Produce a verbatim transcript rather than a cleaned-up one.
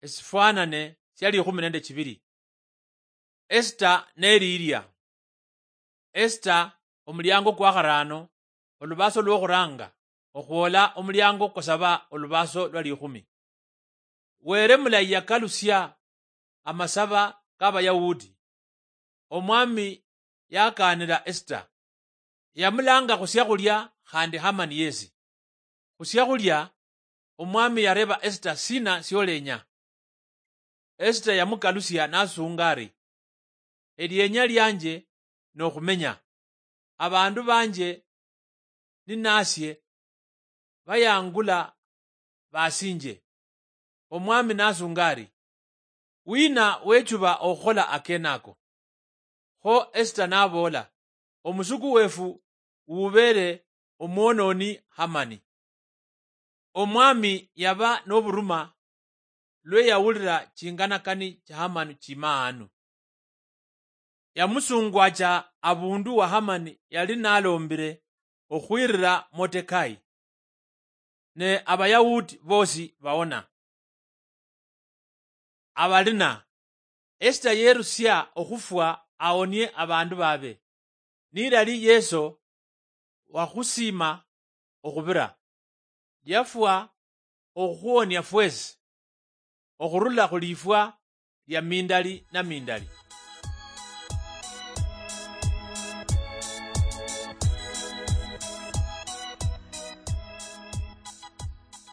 esifwanane sia likhumi nende chibiri. Esita neli ilia. Esita, omuliango kwa kharaano, olubaso lwokhuranga, okhwola omuliango kwa saba olubaso lwa likhumi. Were mulayi yakalusia amasaba ka Bayahudi. Omwami yakaanira Esita. Yamulanga khusiakhulia khandi Hamani yesi. Khusiakhulia, omwami yareba Esita sina siolenya. Esita yamukalusia nasunga ari, elienya lianje nokhumenya. Abandu banje ninasie bayangula basinje. Omwami nasunga ari, wina wechuba okhukhola akenako? Kho Esita naboola, omusuku wefu wubere omwononi Hamani. Omwami yaba noburuma lwe yawulira chinganakani cha Hamani chimaanu. Yamusungwacha abundu wa Hamani yali nalombire okhwirira Motekai, ne Abayahudi bosi baona. Abalina, Esita yerusia okhufwa aonie abandu babe. Nilali Yeso wakhusima okhubira, yafwa okhukhuonia fwesi okhurula khulifwa lia mindali na mindali.